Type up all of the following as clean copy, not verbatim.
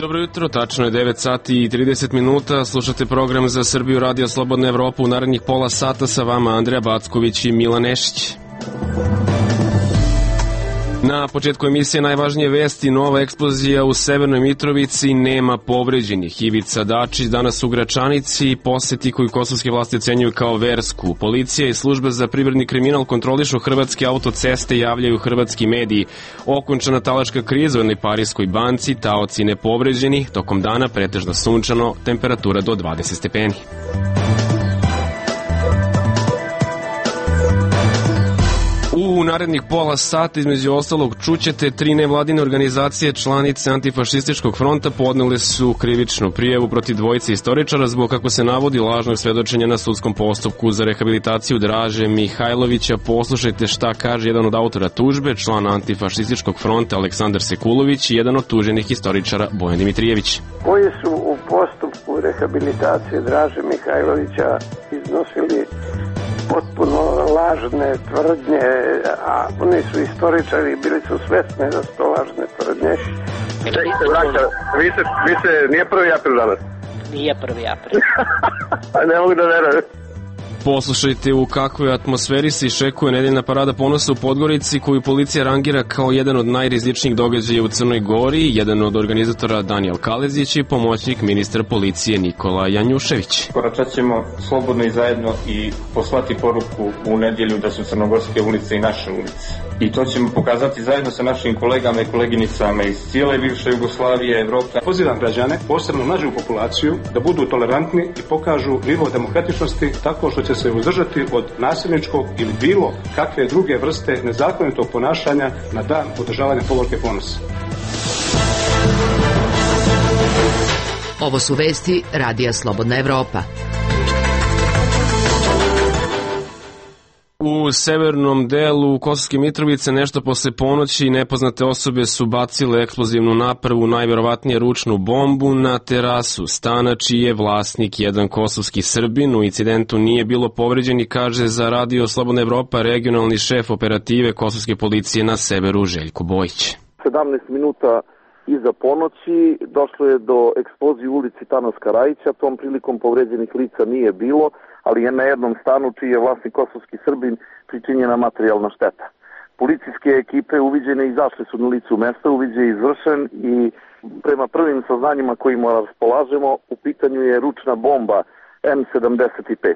Dobro jutro, tačno je 9 sati i 30 minuta, slušate program za Srbiju Radio Slobodna Evropa. U narednih pola sata sa vama Andreja Backović i Milan Nešić. Na početku emisije najvažnije vesti: nova eksplozija u Severnoj Mitrovici, nema povređenih. Ivica Dačić danas u Gračanici, poseti koju kosovske vlasti ocenjuju kao versku. Policija i služba za privredni kriminal kontrolišu hrvatske autoceste, javljaju hrvatski mediji. Okončana talačka kriza u jednoj parijskoj banci, taoci nepovređeni, tokom dana pretežno sunčano, temperatura do 20 stepeni. U narednih pola sata, između ostalog, čućete 3 nevladine organizacije članice Antifašističkog fronta podnele su krivičnu prijavu protiv dvojice istoričara zbog, kako se navodi, lažnog svedočenja na sudskom postupku za rehabilitaciju Draže Mihajlovića. Poslušajte šta kaže jedan od autora tužbe, član Antifašističkog fronta Aleksandar Sekulović i jedan od tuženih istoričara Bojan Dimitrijević. Koji su u postupku rehabilitacije Draže Mihajlovića iznosili potpuno lažne tvrdnje, a oni su istoričari, bili su svesni da su to lažne tvrdnje. Vi se, nije 1. april danas? Nije 1. april. Ne mogu da verujem. Poslušajte u kakvoj atmosferi se išekuje nedeljna parada ponosa u Podgorici, koju policija rangira kao jedan od najrizičnijih događaja u Crnoj Gori. Jedan od organizatora Danijel Kalezić i pomoćnik ministra policije Nikola Janjušević. Koračat ćemo slobodno i zajedno i poslati poruku u nedjelju da su crnogorske ulice i naše ulice. I to ćemo pokazati zajedno sa našim kolegama i koleginicama iz cijele bivše Jugoslavije, Evrope. Pozivam građane, posebno mlađu populaciju, da budu tolerantni i pokažu nivo demokratičnosti tako što će se uzdržati od nasilničkog ili bilo kakve druge vrste nezakonitog ponašanja na dan održavanja povorke ponosa. Ovo su vesti Radija Slobodna Evropa. U severnom delu Kosovske Mitrovice nešto posle ponoći nepoznate osobe su bacile eksplozivnu napravu, najverovatnije ručnu bombu, na terasu stana čiji je vlasnik jedan kosovski Srbin. U incidentu nije bilo povređeni, kaže za Radio Slobodna Evropa regionalni šef operative kosovske policije na severu Željko Bojić. 17 minuta iza ponoći došlo je do eksplozije u ulici Tanaska Rajića, tom prilikom povređenih lica nije bilo, ali je na jednom stanu čiji je vlasnik kosovski Srbin pričinjena materijalna šteta. Policijske ekipe uviđene izašle su na licu mesta, uviđaj je izvršen i prema prvim saznanjima kojima raspolažemo, u pitanju je ručna bomba M75.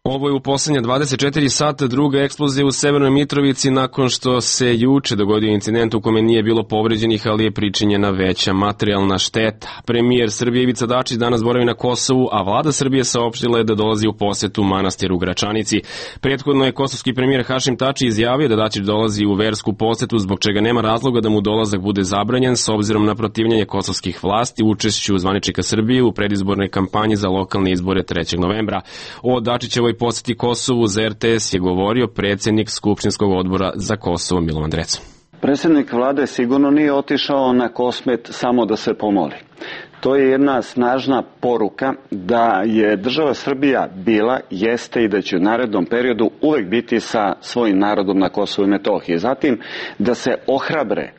Ovo je u poslednje 24 sata druga eksplozija u Severnoj Mitrovici nakon što se juče dogodio incident u kome nije bilo povređenih, ali je pričinjena veća materijalna šteta. Premijer Srbije Ivica Dačić danas boravi na Kosovu, a vlada Srbije saopštila je da dolazi u posetu manastiru u Gračanici. Prethodno je kosovski premijer Hašim Tači izjavio da Dačić dolazi u versku posetu, zbog čega nema razloga da mu dolazak bude zabranjen s obzirom na protivljenje kosovskih vlasti učešću zvaničnika Srbije u predizbornoj kampanji za lokalne izbore 3. novembra. O Dačićevoj poseti Kosovu za RTS je govorio predsjednik Skupštinskog odbora za Kosovo Milovan Drecan. Predsjednik vlade sigurno nije otišao na Kosmet samo da se pomoli. To je jedna snažna poruka da je država Srbija bila, jeste i da će u narednom periodu uvek biti sa svojim narodom na Kosovu i Metohiji. Zatim da se ohrabre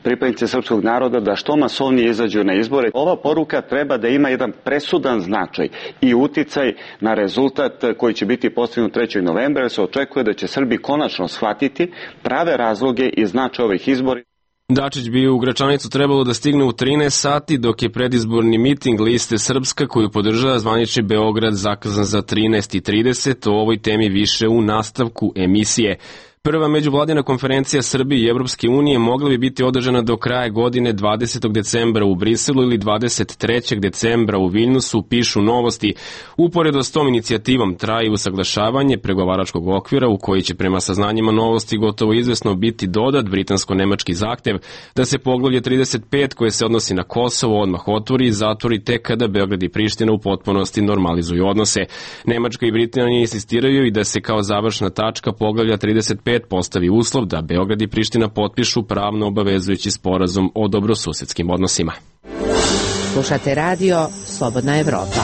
pripadnici srpskog naroda da što masovnije izađu na izbore. Ova poruka treba da ima jedan presudan značaj i uticaj na rezultat koji će biti postignut 3. novembra, jer se očekuje da će Srbi konačno shvatiti prave razloge i značaj ovih izbora. Dačić bi u Gračanicu trebalo da stigne u 13 sati, dok je predizborni miting Liste Srpska, koju podržava zvanični Beograd, zakazan za 13:30. O ovoj temi više u nastavku emisije. Prva međuvladina konferencija Srbije i Evropske unije mogla bi biti održana do kraja godine 20. decembra u Briselu ili 23. decembra u Viljnusu, pišu Novosti. Uporedo s tom inicijativom traje usaglašavanje pregovaračkog okvira u koji će prema saznanjima Novosti gotovo izvesno biti dodat britansko-nemački zahtev da se poglavlje 35 koje se odnosi na Kosovo odmah otvori i zatvori tek kada Beograd i Priština u potpunosti normalizuju odnose. Nemačka i Britanija insistiraju i da se kao završna tačka poglavlja 35 postavi uslov da Beograd i Priština potpišu pravno obavezujući sporazum o dobrosusedskim odnosima. Slušate radio Slobodna Evropa.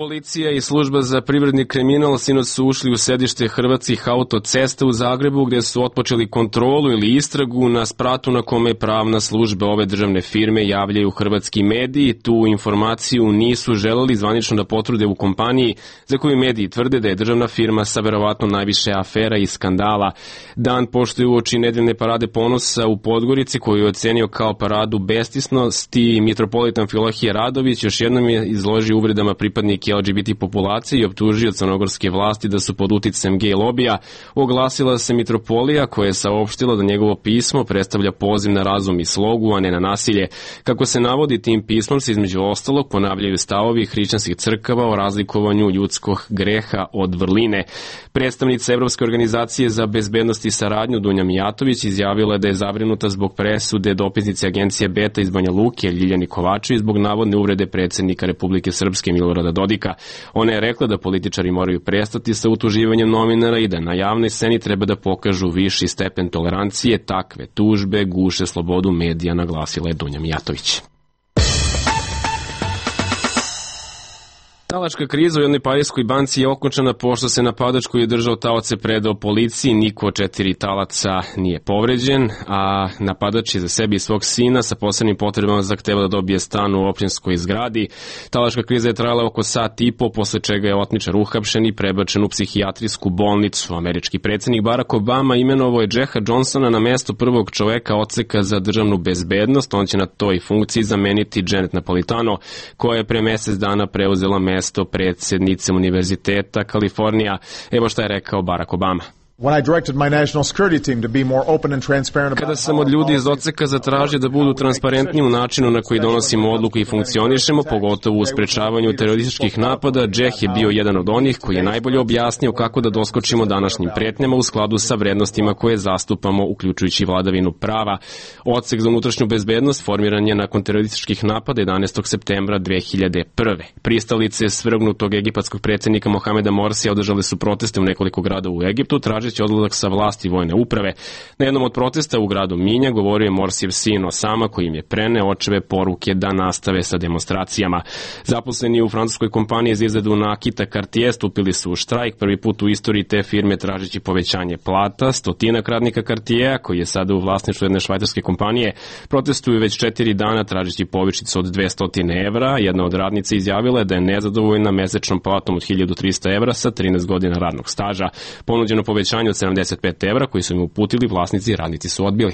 Policija i služba za privredni kriminal sinoć su ušli u sedište Hrvatskih autocesta u Zagrebu, gde su otpočeli kontrolu ili istragu na spratu na kome pravna služba ove državne firme javljaju hrvatski mediji. Tu informaciju nisu želeli zvanično da potvrde u kompaniji za koju mediji tvrde da je državna firma sa verovatno najviše afera i skandala. Dan pošto je uoči nedeljne parade ponosa u Podgorici, koju je ocenio kao paradu bestisnosti, mitropolita Amfilohije Radović još jednom je izložio uvredama pripadnike LGBT populacije i optužio crnogorske vlasti da su pod uticajem gej lobija. Oglasila se mitropolija koja je saopštila da njegovo pismo predstavlja poziv na razum i slogu, a ne na nasilje. Kako se navodi, tim pismom se između ostalog ponavljaju stavovi hrišćanskih crkava o razlikovanju ljudskog greha od vrline. Predstavnica Evropske organizacije za bezbednost i saradnju Dunja Mijatović izjavila da je zabrinuta zbog presude dopisnice agencije Beta iz Banja Luke Ljiljani Kovačević zbog navodne uvrede predsjednika Republike Srpske Milorada Dodika. Ona je rekla da političari moraju prestati sa utuživanjem novinara i da na javnoj sceni treba da pokažu viši stepen tolerancije. Takve tužbe guše slobodu medija, naglasila je Dunja Mijatović. Talačka kriza u jednoj parijskoj banci je okončana pošto se napadač koji je držao taoce predao policiji. Niko od 4 talaca nije povređen, a napadač je za sebi i svog sina sa posebnim potrebama zahteva da dobije stan u opštinskoj zgradi. Talačka kriza je trajala oko sat i po, posle čega je otmičar uhapšen i prebačen u psihijatrijsku bolnicu. Američki predsjednik Barack Obama imenovao je Jacka Johnsona na mesto prvog čoveka odseka za državnu bezbednost. On će na toj funkciji zameniti Janet Napolitano, koja je pre mesec dana preuzela mesto predsjednice Univerziteta Kalifornija. Evo šta je rekao Barack Obama. Kada sam od ljudi iz odseka zatražio da budu transparentni u načinu na koji donosimo odluku i funkcionišemo, pogotovo u sprečavanju terorističkih napada, Jack je bio jedan od onih koji je najbolje objasnio kako da doskočimo današnjim pretnjama u skladu sa vrednostima koje zastupamo, uključujući vladavinu prava. Odsek za unutrašnju bezbednost formiran je nakon terorističkih napada 11. septembra 2001. Pristalice svrgnutog egipatskog predsjednika Mohameda Morsija održale su proteste u nekoliko grada u Egiptu, tražeći odlazak sa vlasti vojne uprave. Na jednom od protesta u gradu Minja govorio je Morsijev sin Osama, koji im je preneo očeve poruke da nastave sa demonstracijama. Zaposleni u francuskoj kompaniji za izradu nakita Cartier stupili su u štrajk, prvi put u istoriji te firme tražeći povećanje plata. Stotinak radnika Cartiera, koji je sada u vlasništvu jedne švajcarske kompanije, protestuju već 4 dana tražeći povišicu od 200 evra. Jedna od radnica izjavila je da je nezadovoljna mesečnom platom od 1300 evra sa 13 godina radnog staža. Ponuđeno povećanje od 75 evra koji su im uputili vlasnici i radnici su odbili.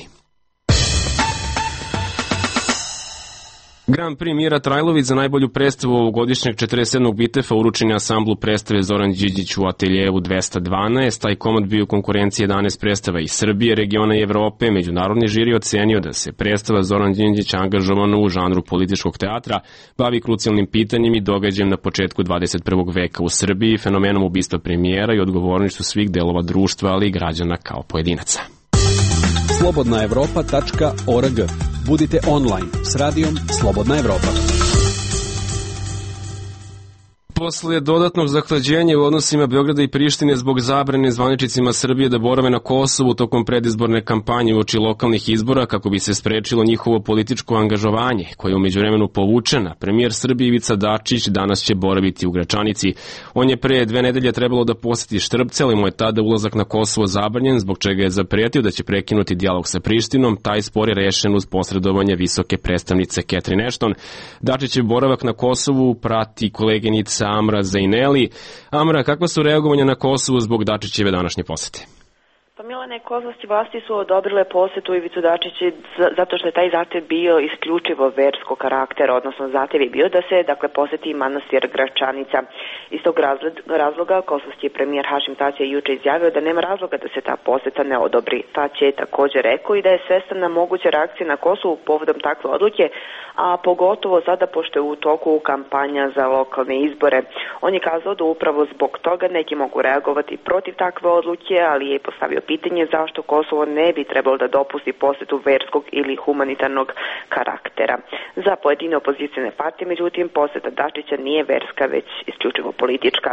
Grand Prix Mira Trajlović za najbolju predstavu ovogodišnjeg 47. Bitefa uručen je ansamblu predstave Zoran Điđić u ateljevu 212. Taj komad bio u konkurenciji 11 predstava iz Srbije, regiona i Evrope. Međunarodni žiri ocenio da se predstava Zoran Điđić angažovana u žanru političkog teatra bavi krucijalnim pitanjem i događajem na početku 21. veka u Srbiji, fenomenom ubistva premijera i odgovornošću svih delova društva, ali i građana kao pojedinaca. Slobodnaevropa.org. Budite online s radijom Slobodna Evropa. Posle dodatnog zahlađenja u odnosima Beograda i Prištine zbog zabrane zvaničnicima Srbije da borave na Kosovu tokom predizborne kampanje uoči lokalnih izbora kako bi se sprečilo njihovo političko angažovanje, koje je u međuvremenu povučena, premijer Srbije Ivica Dačić danas će boraviti u Gračanici. On je pre 2 nedelje trebalo da poseti Štrpce, ali mu je tada ulazak na Kosovo zabranjen, zbog čega je zapretio da će prekinuti dijalog sa Prištinom. Taj spor je rešen uz posredovanje visoke predstavnice Catherine Ashton. Dačićev boravak na Kosovu prati koleginica Amra Zaineli. Amra, kakva su reagovanja na Kosovu zbog Dačićeve današnje posete? Pa Milane, kosovske vlasti su odobrile posetu Ivicu Dačića zato što je taj zahtev bio isključivo verskog karaktera, odnosno zahtev je bio da se poseti manastir Gračanica. Iz tog razloga kosovski premijer Hašim Tači je juče izjavio da nema razloga da se ta poseta ne odobri. Tači je također rekao i da je svestan na moguće reakcije na Kosovu povodom takve odluke, a pogotovo sada pošto je u toku kampanja za lokalne izbore. On je kazao da upravo zbog toga neki mogu reagovati protiv takve odluke, ali je postavio pitanje zašto Kosovo ne bi trebalo da dopusti posetu verskog ili humanitarnog karaktera. Za pojedine opozicijne partije, međutim, poseta Dačića nije verska, već isključivo politička.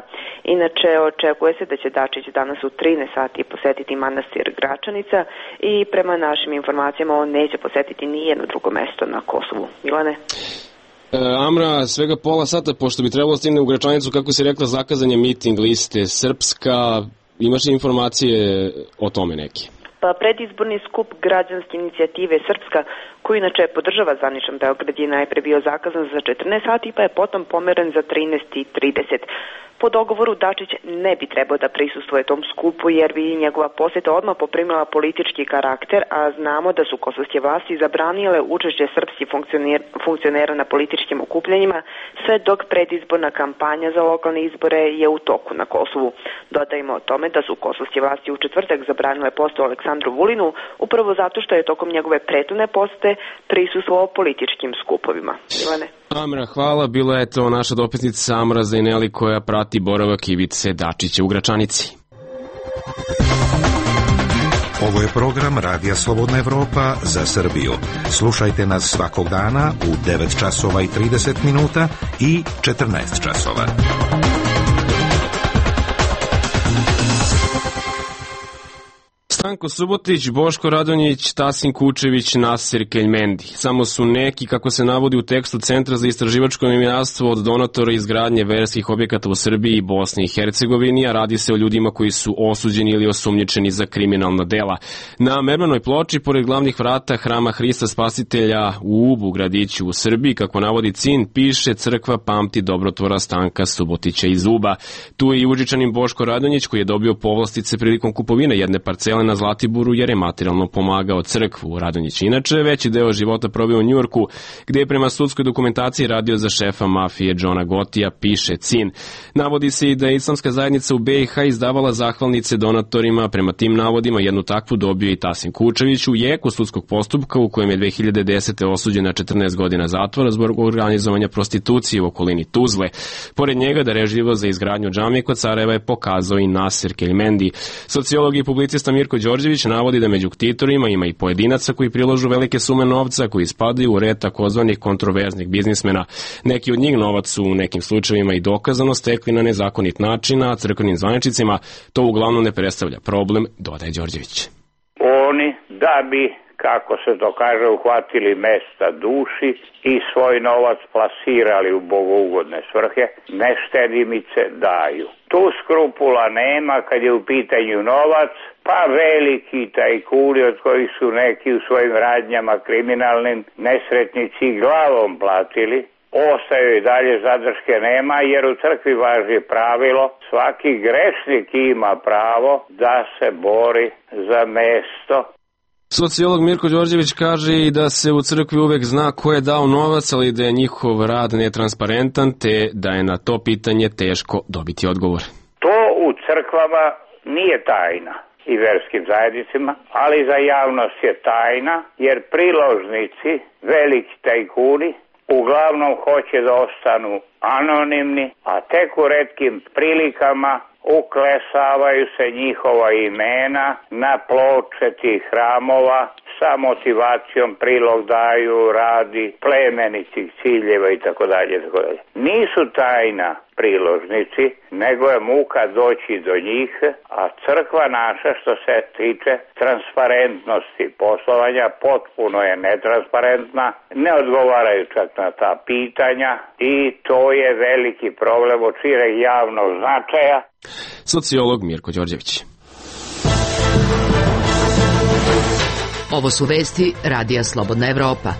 Inače, očekuje se da će Dačić danas u 13 sati posetiti manastir Gračanica i prema našim informacijama on neće posetiti nijedno drugo mesto na Kosovu. Milane? Amra, svega pola sata, pošto bi trebalo stigne u Gračanicu, kako si rekla, zakazan je miting liste Srpska. Imaš li informacije o tome neke? Pa predizborni skup građanske inicijative Srpska, koji inače podržava zvaničan Beograd, je najpre bio zakazan za 14 sati, pa je potom pomeren za 13:30. Po dogovoru Dačić ne bi trebao da prisustvuje tom skupu, jer bi njegova poseta odmah poprimila politički karakter, a znamo da su kosovske vlasti zabranile učešće srpskih funkcionera na političkim okupljanjima, sve dok predizborna kampanja za lokalne izbore je u toku na Kosovu. Dodajmo o tome da su kosovske vlasti u četvrtak zabranile postu Aleksandru Vulinu, upravo zato što je tokom njegove prethodne posete prisustvovao političkim skupovima. Milane? Amra, hvala. Bila je to naša dopisnica Amra Zajneli koja prati boravak Ivice Dačića u Gračanici. Ovo je program Radija Slobodna Evropa za Srbiju. Slušajte nas svakog dana u 9 časova i 30 minuta i 14 časova. Stanko Subotić, Boško Radonjić, Tasin Kučević, Nasir Keljmendi. Samo su neki, kako se navodi u tekstu Centra za istraživačko novinarstvo, od donatora izgradnje verskih objekata u Srbiji i Bosni i Hercegovini, a radi se o ljudima koji su osuđeni ili osumnjičeni za kriminalna dela. Na mermanoj ploči, pored glavnih vrata Hrama Hrista Spasitelja u Ubu, gradiću u Srbiji, kako navodi CIN, piše: crkva pamti dobrotvora Stanka Subotića iz Uba. Tu je i Užičanin Boško Radonjić, koji je dobio povlastice prilikom kupovine jedne parcele na Zlatiboru, jer je materijalno pomagao crkvu. Radonjić inače veći deo života proveo u Njujorku, gde je prema sudskoj dokumentaciji radio za šefa mafije Džona Gotija, piše CIN. Navodi se i da je islamska zajednica u BiH izdavala zahvalnice donatorima. Prema tim navodima jednu takvu dobio i Tasin Kučević u jeku sudskog postupka u kojem je 2010. osuđen na 14 godina zatvora zbog organizovanja prostitucije u okolini Tuzle. Pored njega da reživo za izgradnju džamije kod Sarajeva je pokazao i Nasir Keljmendi. Sociolog i publicista Mirko Đorđević navodi da među ktitorima ima i pojedinaca koji prilažu velike sume novca, koji spadaju u red takozvanih kontroverznih biznismena. Neki od njih novac su u nekim slučajevima i dokazano stekli na nezakonit način, a crkvenim zvaničnicima to uglavnom ne predstavlja problem, dodaje Đorđević. Oni da bi, kako se to kaže, uhvatili mesta duši i svoj novac plasirali u bogougodne svrhe, neštedimice daju. Tu skrupula nema kad je u pitanju novac, pa veliki tajkuni od kojih su neki u svojim radnjama kriminalnim nesretnici glavom platili, ostaju i dalje, zadrške nema, jer u crkvi važi pravilo: svaki grešnik ima pravo da se bori za mesto. Sociolog Mirko Đorđević kaže i da se u crkvi uvek zna ko je dao novac, ali da je njihov rad netransparentan, te da je na to pitanje teško dobiti odgovor. To u crkvama nije tajna i verskim zajednicima, ali za javnost je tajna, jer priložnici, veliki tajkuni, uglavnom hoće da ostanu anonimni, a tek u retkim prilikama uklesavaju se njihova imena na ploče tih hramova, sa motivacijom prilog daju radi plemenitih ciljeva i tako dalje. Nisu tajna priložnici, nego je muka doći do njih, a crkva naša, što se tiče transparentnosti poslovanja, potpuno je netransparentna, ne odgovaraju čak na ta pitanja i to je veliki problem od šireg javnog značaja. Sociolog Mirko Đorđević. Ovo su vesti Radija Slobodna Evropa.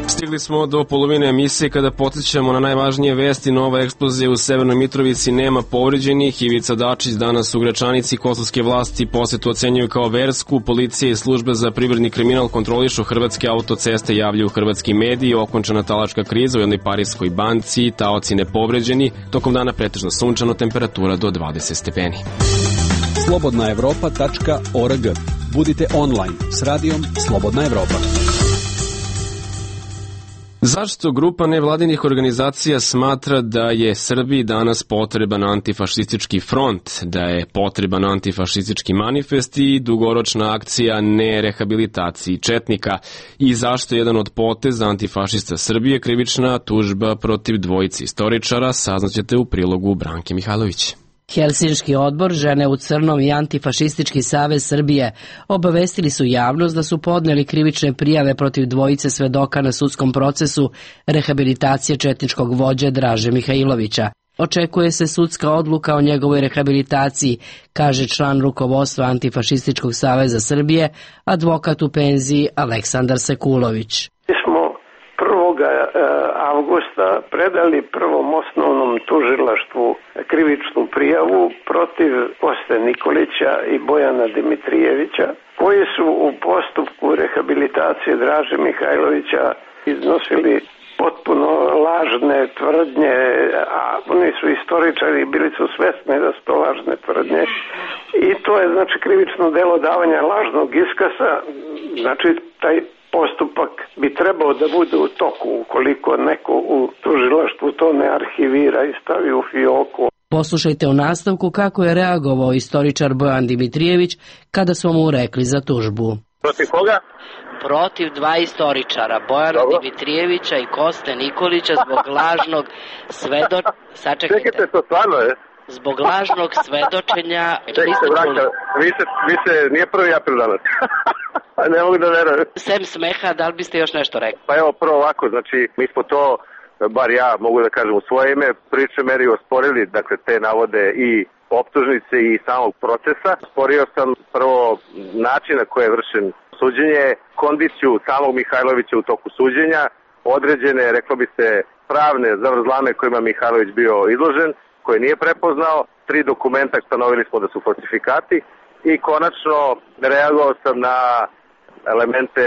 Stigli smo do polovine emisije kada podsjećamo na najvažnije vesti. Nova eksplozija u Severnoj Mitrovici, nema povređenih. Ivica Dačić danas u Gračanici. Kosovske vlasti posetu ocenjuju kao versku. Policija i službe za privredni kriminal kontrolišu hrvatske autoceste, javljaju hrvatski mediji. Okončana talačka kriza u jednoj parijskoj banci, taoci nepovređeni. Tokom dana pretežno sunčano, temperatura do 20 stepeni. slobodnaevropa.org. Budite online s radijom Slobodna Evropa. Zašto grupa nevladinih organizacija smatra da je Srbiji danas potreban antifašistički front, da je potreban antifašistički manifest i dugoročna akcija nerehabilitaciji četnika? I zašto je jedan od poteza antifašista Srbije krivična tužba protiv dvojice istoričara? Saznaćete u prilogu Branke Mihajlović. Helsinški odbor, Žene u crnom i Antifašistički savez Srbije obavestili su javnost da su podneli krivične prijave protiv dvojice svedoka na sudskom procesu rehabilitacije četničkog vođe Draže Mihajlovića. Očekuje se sudska odluka o njegovoj rehabilitaciji, kaže član rukovodstva Antifašističkog saveza Srbije, advokat u penziji Aleksandar Sekulović. Mi smo 1. avgusta predali prvom osnovnom tužilaštvu krivičnu prijavu protiv Koste Nikolića i Bojana Dimitrijevića, koji su u postupku rehabilitacije Draže Mihajlovića iznosili potpuno lažne tvrdnje, a oni su istoričari i bili su svesni da su to lažne tvrdnje. I to je znači krivično delo davanja lažnog iskaza, znači taj postupak bi trebao da bude u toku ukoliko neko u tužilaštvu to ne arhivira i stavi u fioku. Poslušajte u nastavku kako je reagovao istoričar Bojan Dimitrijević kada smo mu rekli za tužbu. Protiv koga? Protiv dva istoričara, Bojana Dimitrijevića i Koste Nikolića zbog lažnog Čekajte, to stvarno je? Zbog lažnog svedočenja... Čekajte, braća, vi se nije 1. april danas. Ne mogu da verujem. Sem smeha, da li biste još nešto rekli? Pa evo, prvo ovako, znači, mi smo to, bar ja mogu da kažem u svoje ime, priče meri osporili, dakle, te navode i optužnice i samog procesa. Sporio sam prvo način na koji je vršen suđenje, kondiciju samog Mihajlovića u toku suđenja, određene, reklo bi se, pravne zavrzlame kojima Mihajlović bio izložen, koje nije prepoznao, 3 dokumenta stanovili smo da su falsifikati i konačno reagovao sam na elemente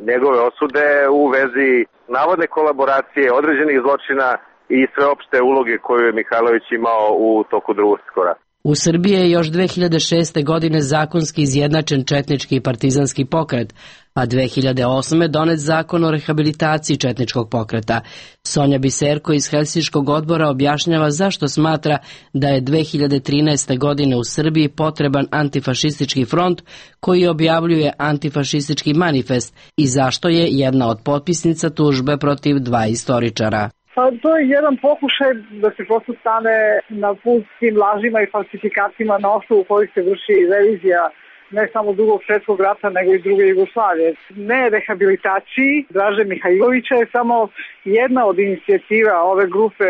njegove osude u vezi navodne kolaboracije, određenih zločina i sveopšte uloge koju je Mihajlović imao u toku Drugog svjetskog rata. U Srbiji je još 2006. godine zakonski izjednačen četnički i partizanski pokret, a 2008. donet zakon o rehabilitaciji četničkog pokreta. Sonja Biserko iz Helsinškog odbora objašnjava zašto smatra da je 2013. godine u Srbiji potreban antifašistički front koji objavljuje antifašistički manifest i zašto je jedna od potpisnica tužbe protiv dva istoričara. Pa to je jedan pokušaj da se prosto stane na put tim lažima i falsifikacijama na osnovu kojih se vrši revizija ne samo Drugog svjetskog rata nego i druge Jugoslavije. Ne rehabilitaciji Draže Mihajlovića je samo jedna od inicijativa ove grupe,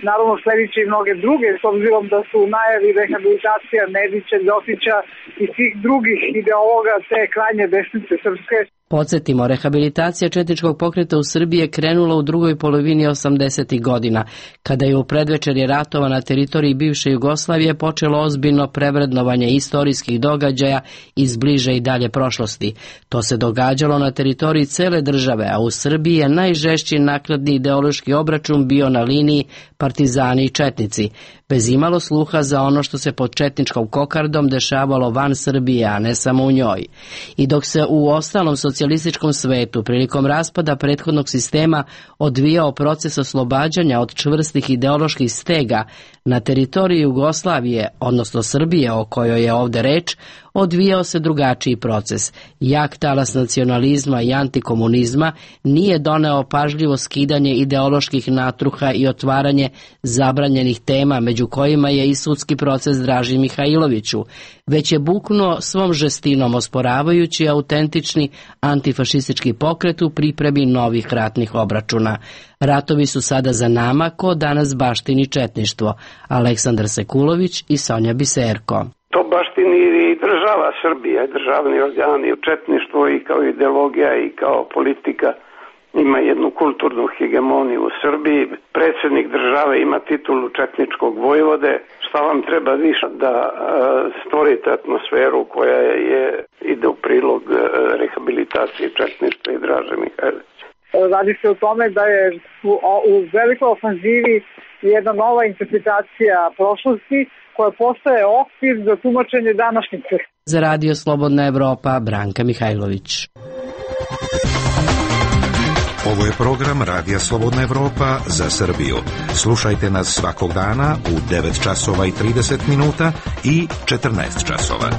naravno sljedeće i mnoge druge, s obzirom da su u najavi rehabilitacija Nedića, Ljotića i svih drugih ideologa te krajnje desnice srpske. Podsjetimo, rehabilitacija četničkog pokreta u Srbiji je krenula u drugoj polovini 80. godina, kada je u predvečerje ratova na teritoriji bivše Jugoslavije počelo ozbiljno prevrednovanje istorijskih događaja iz bliže i dalje prošlosti. To se događalo na teritoriji cele države, a u Srbiji je najžešći nakladni ideološki obračun bio na liniji partizani i četnici, bez imalo sluha za ono što se pod četničkom kokardom dešavalo van Srbije, a ne samo u njoj. I dok se u ostalom socijalističkom svetu prilikom raspada prethodnog sistema odvijao proces oslobađanja od čvrstih ideoloških stega, na teritoriji Jugoslavije, odnosno Srbije o kojoj je ovde reč, odvijao se drugačiji proces. Jak talas nacionalizma i antikomunizma nije doneo pažljivo skidanje ideoloških natruha i otvaranje zabranjenih tema, među kojima je i sudski proces Draži Mihajloviću, već je buknuo svom žestinom osporavajući autentični antifašistički pokret u pripremi novih ratnih obračuna. Ratovi su sada za nama, ko danas baštini četništvo. Aleksandar Sekulović i Sonja Biserko. To baštini i država Srbija, državni organi, četništvo i kao ideologija i kao politika ima jednu kulturnu hegemoniju u Srbiji. Predsjednik države ima titulu četničkog vojvode. Šta vam treba više da stvorite atmosferu koja ide u prilog rehabilitacije četništva i Draže Mihajlovića? Radi se o tome da je u velikoj ofanzivi jedna nova interpretacija prošlosti koja postaje okvir za tumačenje današnjice. Za Radio Slobodna Evropa, Branka Mihajlović. Ovo je program Radija Slobodna Evropa za Srbiju. Slušajte nas svakog dana u 9 časova i 30 minuta i 14 časova.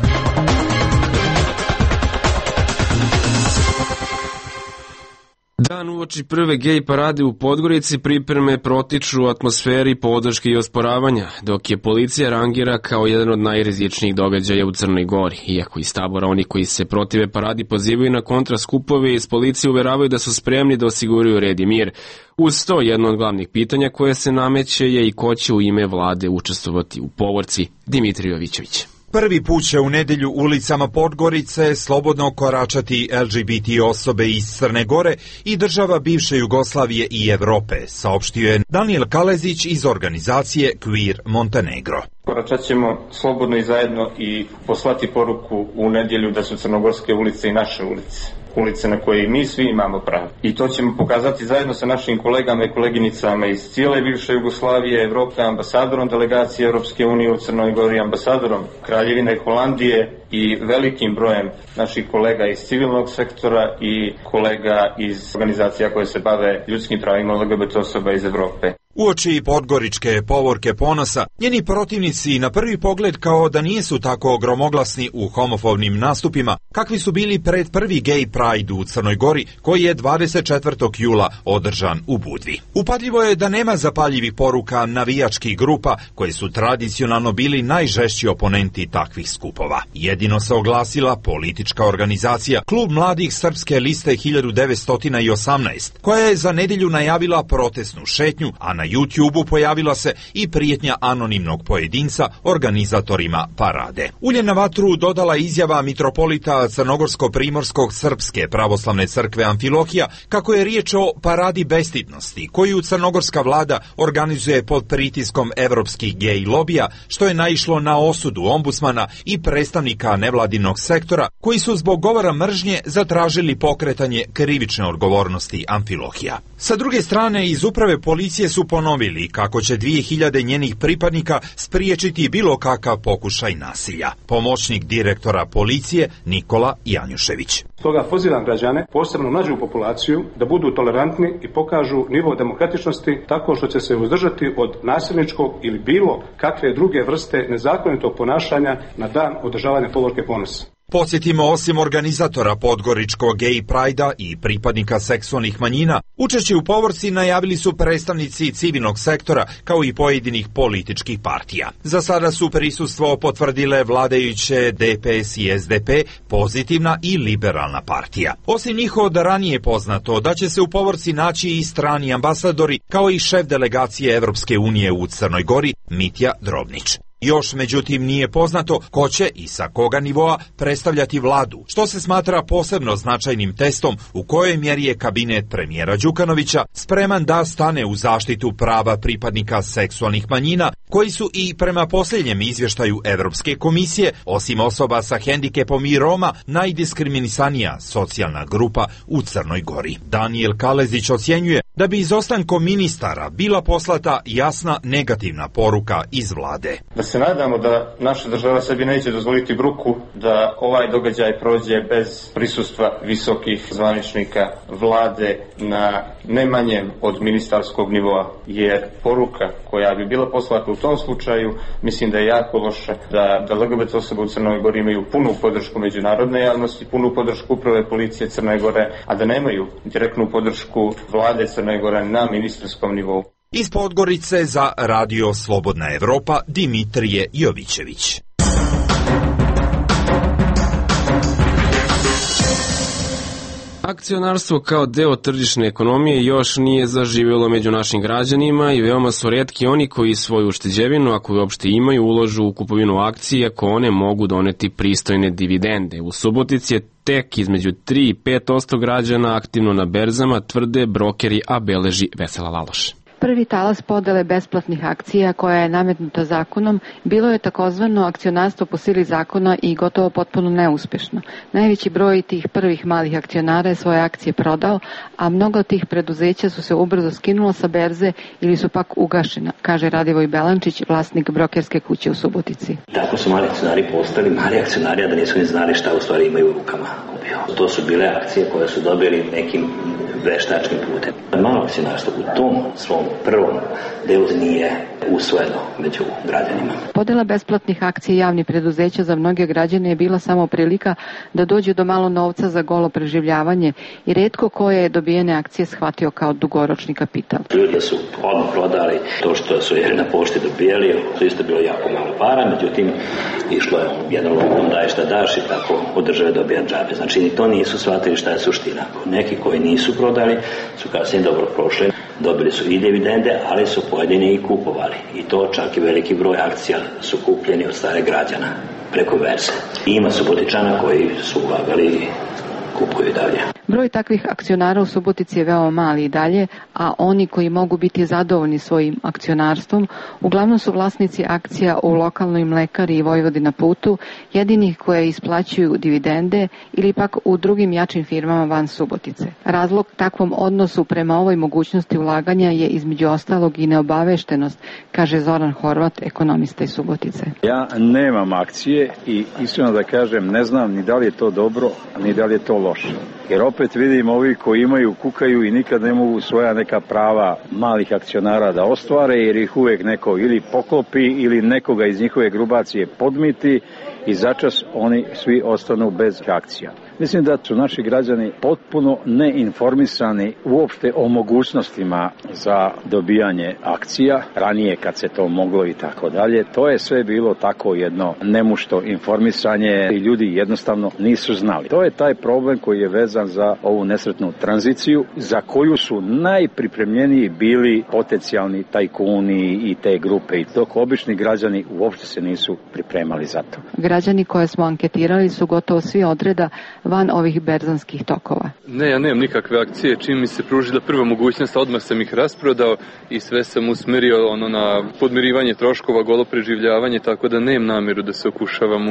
Dan uoči prve gej parade u Podgorici pripreme protiču u atmosferi podrške i osporavanja, dok je policija rangira kao jedan od najrizičnijih događaja u Crnoj Gori. Iako iz tabora oni koji se protive paradi pozivaju na kontraskupove, iz policije uveravaju da su spremni da osiguraju red i mir. Uz to, jedno od glavnih pitanja koje se nameće je i ko će u ime vlade učestvovati u povorci. Dimitrij Jovićević. Prvi put će u nedelju ulicama Podgorice slobodno koračati LGBT osobe iz Crne Gore i država bivše Jugoslavije i Evrope, saopštio je Daniel Kalezić iz organizacije Queer Montenegro. Koračat ćemo slobodno i zajedno i poslati poruku u nedjelju da su crnogorske ulice i naše ulice na koje mi svi imamo pravo. I to ćemo pokazati zajedno sa našim kolegama i koleginicama iz cijele bivše Jugoslavije, Evrope, ambasadorom delegacije Europske unije u Crnoj Gori, ambasadorom Kraljevine Holandije i velikim brojem naših kolega iz civilnog sektora i kolega iz organizacija koje se bave ljudskim pravima LGBT osoba iz Evrope. Uoči podgoričke povorke ponosa, njeni protivnici na prvi pogled kao da nisu tako gromoglasni u homofobnim nastupima, kakvi su bili pred prvi gay pride u Crnoj Gori, koji je 24. jula održan u Budvi. Upadljivo je da nema zapaljivih poruka navijačkih grupa, koje su tradicionalno bili najžešći oponenti takvih skupova. Jedino se oglasila politička organizacija Klub mladih Srpske liste 1918, koja je za nedelju najavila protestnu šetnju, a na YouTube-u pojavila se i prijetnja anonimnog pojedinca organizatorima parade. Ulje na vatru dodala izjava mitropolita Crnogorsko-Primorskog Srpske pravoslavne crkve Amfilohija kako je riječ o paradi bestidnosti koju crnogorska vlada organizuje pod pritiskom evropskih gej lobija, što je naišlo na osudu ombudsmana i predstavnika nevladinog sektora koji su zbog govora mržnje zatražili pokretanje krivične odgovornosti Amfilohija. Sa druge strane, iz uprave policije su ponovili kako će 2000 njenih pripadnika spriječiti bilo kakav pokušaj nasilja. Pomoćnik direktora policije Nikola Janjušević. Stoga pozivam građane, posebno mlađu populaciju, da budu tolerantni i pokažu nivo demokratičnosti tako što će se uzdržati od nasilničkog ili bilo kakve druge vrste nezakonitog ponašanja na dan održavanja povorke ponosa. Podsjetimo, osim organizatora podgoričkog gay prajda i pripadnika seksualnih manjina, učešće u povorci najavili su predstavnici civilnog sektora kao i pojedinih političkih partija. Za sada su prisustvo potvrdile vladajuće DPS i SDP, Pozitivna i Liberalna partija. Osim njih od ranije poznato da će se u povorci naći i strani ambasadori kao i šef delegacije Evropske unije u Crnoj Gori Mitja Drobnić. Još, međutim, nije poznato ko će i sa koga nivoa predstavljati vladu, što se smatra posebno značajnim testom u kojoj mjeri je kabinet premijera Đukanovića spreman da stane u zaštitu prava pripadnika seksualnih manjina, koji su i prema posljednjem izvještaju Evropske komisije, osim osoba sa hendikepom i Roma, najdiskriminisanija socijalna grupa u Crnoj Gori. Daniel Kalezić ocjenjuje da bi izostankom ministara bila poslata jasna negativna poruka iz vlade. Da se nadamo da naša država sebi neće dozvoliti bruku da ovaj događaj prođe bez prisustva visokih zvaničnika vlade na ne manjem od ministarskog nivoa, jer poruka koja bi bila poslata u tom slučaju mislim da je jako loša, da LGBT osobe u Crnoj Gori imaju punu podršku međunarodne javnosti, punu podršku uprave policije Crne Gore, a da nemaju direktnu podršku vlade Crne Gore na ministarskom nivou. Iz Podgorice za Radio Slobodna Evropa Dimitrije Jovićević. Akcionarstvo kao deo tržišne ekonomije još nije zaživjelo među našim građanima i veoma su retki oni koji svoju ušteđevinu, ako je uopšte imaju, uložu u kupovinu akcije ako one mogu doneti pristojne dividende. U Subotici je tek između 3 i 5% građana aktivno na berzama, tvrde brokeri, a beleži Vesela Laloš. Prvi talas podele besplatnih akcija koja je nametnuta zakonom bilo je takozvano akcionarstvo po sili zakona i gotovo potpuno neuspješno. Najveći broj tih prvih malih akcionara je svoje akcije prodao, a mnogo od tih preduzeća su se ubrzo skinulo sa berze ili su pak ugašena, kaže Radivoj Belančić, vlasnik brokerske kuće u Subotici. Tako su mali akcionari postali mali akcionari, a da nisu ni znali šta u stvari imaju u rukama. dobio. To su bile akcije koje su dobili nekim veštačkim putem. Malo akcionarstvo u tom svom prvom delu nije usvojeno među građanima. Podela besplatnih akcija javnih preduzeća za mnoge građane je bila samo prilika da dođu do malo novca za golo preživljavanje i retko koje je dobijene akcije shvatio kao dugoročni kapital. Ljudi su odmah prodali to što su na pošti dobijali, to isto bilo jako malo para, međutim išlo je jedan lokom daj šta daš i tako od države dobija džabe. Znači ni to nisu shvatili šta je suština. Neki koji nisu prodali su kasnije dobro prošli, dobili su i dividende, ali su pojedini i kupovali. I to čak i veliki broj akcija su kupljeni od stare građana preko berze. Ima Subotičana koji su ulagali i kupuju i dalje. Broj takvih akcionara u Subotici je veoma mali i dalje, a oni koji mogu biti zadovoljni svojim akcionarstvom uglavnom su vlasnici akcija u lokalnoj mlekari i Vojvodina putu, jedinih koje isplaćuju dividende ili pak u drugim jačim firmama van Subotice. Razlog takvom odnosu prema ovoj mogućnosti ulaganja je između ostalog i neobaveštenost, kaže Zoran Horvat, ekonomista iz Subotice. Ja nemam akcije i iskreno da kažem ne znam ni da li je to dobro, ni da li je to loše. Jer opet vidim ovi koji imaju, kukaju i nikad ne mogu svoja neka prava malih akcionara da ostvare jer ih uvijek neko ili poklopi ili nekoga iz njihove grupacije podmiti i začas oni svi ostanu bez akcija. Mislim da su naši građani potpuno neinformisani uopšte o mogućnostima za dobijanje akcija, ranije kad se to moglo i tako dalje. To je sve bilo tako jedno nemušto informisanje i ljudi jednostavno nisu znali. To je taj problem koji je vezan za ovu nesretnu tranziciju za koju su najpripremljeniji bili potencijalni tajkuni i te grupe, i dok obični građani uopšte se nisu pripremali za to. Građani koje smo anketirali su gotovo svi odreda van ovih berzanskih tokova. Ne, ja nemam nikakve akcije. Čim mi se pružila prva mogućnost, odmah sam ih rasprodao i sve sam usmerio na podmirivanje troškova, golo preživljavanje, tako da nemam namjeru da se okušavam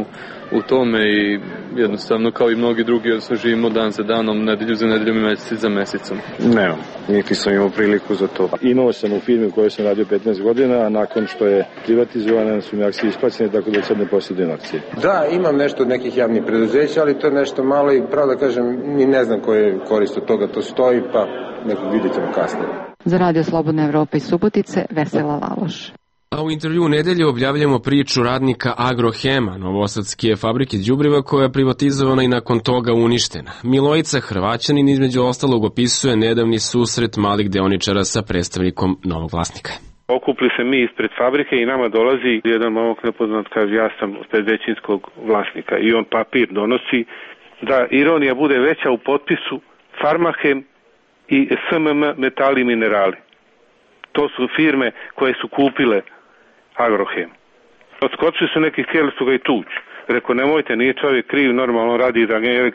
u tome i jednostavno kao i mnogi drugi živimo dan za danom, nedelju za nedeljom i mesec za mesecom. Nemam, niti sam imao priliku za to. Imao sam u firmi u kojoj sam radio 15 godina, a nakon što je privatizovana su mi akcije isplaćene, tako da sad ne posjedujem akcije. Da, imam nešto od nekih javnih preduzeća, ali to je nešto malo i pravo da kažem, ni ne znam koje je korist od toga, to stoji, pa nekog vidjet ćemo kasnije. Za Radio Slobodna Evropa iz Subotice, Vesela Laloš. A u intervju nedelje objavljamo priču radnika Agrohema, novosadske fabrike đubriva koja je privatizovana i nakon toga uništena. Milojica Hrvaćanin između ostalog opisuje nedavni susret malih deoničara sa predstavnikom novog vlasnika. Okupili se mi ispred fabrike i nama dolazi jedan momak nepoznat, kaže ja sam ispred većinskog vlasnika i on papir donosi da ironija bude veća u potpisu Farmahem i SMM Metali i Minerali. To su firme koje su kupile Agrohem. Odskočili su neki, htjeli su ga i tući. Rekao, nemojte, nije čovjek kriv, normalno radi za agenciju,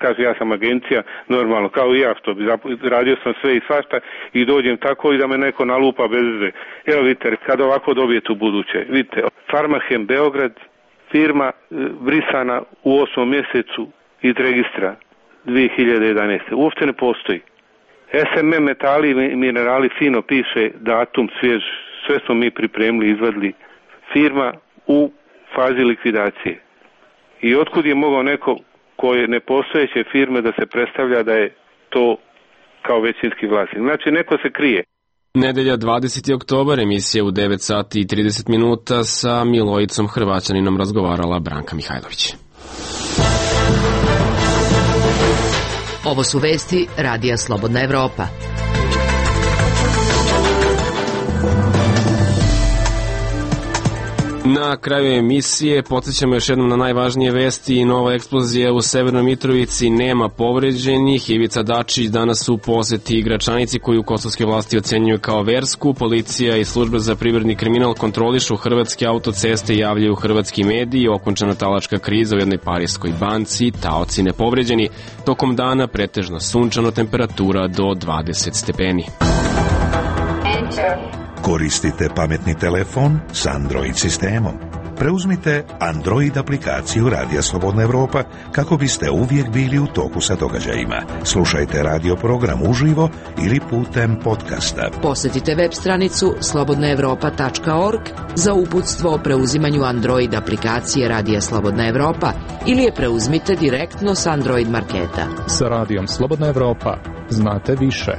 kaže ja sam agencija, normalno, kao i ja, što bi radio sam sve i svašta i dođem tako i da me neko nalupa bez veze. Evo vidite, kad ovako dobijete u buduće, vidite, Farmahem Beograd, firma brisana u 8. mjesecu iz registra 2011. Uopšte ne postoji. SMM Metali i Minerali fino piše datum svjež, sve smo mi pripremili, izvadili. Firma u fazi likvidacije. I otkud je mogao neko koje nepostojeće firme da se predstavlja da je to kao većinski vlasnik. Znači neko se krije. Nedelja 20. oktobar, emisija u 9 sati i 30 minuta sa Milojicom Hrvaćaninom razgovarala Branka Mihajlović. Ovo su vesti Radija Slobodna Evropa. Na kraju emisije podsjećamo još jednom na najvažnije vesti i nova eksplozija u Severnoj Mitrovici, nema povređenih. Ivica Dačić danas u poseti Gračanici koju kosovske vlasti ocenjuju kao versku. Policija i služba za privredni kriminal kontrolišu hrvatske autoceste, javljaju hrvatski mediji, okončana talačka kriza u jednoj parijskoj banci, taoci nepovređeni. Tokom dana pretežno sunčano, temperatura do 20 stepeni. Koristite pametni telefon s Android sistemom. Preuzmite Android aplikaciju Radija Slobodna Evropa kako biste uvijek bili u toku sa događajima. Slušajte radio program uživo ili putem podcasta. Posjetite web stranicu slobodnaevropa.org za uputstvo o preuzimanju Android aplikacije Radija Slobodna Evropa ili je preuzmite direktno s Android marketa. Sa Radijom Slobodna Evropa znate više.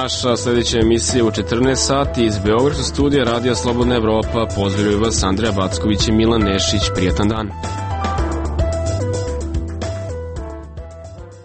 Naša sljedeća emisija u 14 sati iz Beogradskog studija Radija Slobodna Evropa. Pozdravljaju vas Andreja Backović i Milan Nešić. Prijetan dan.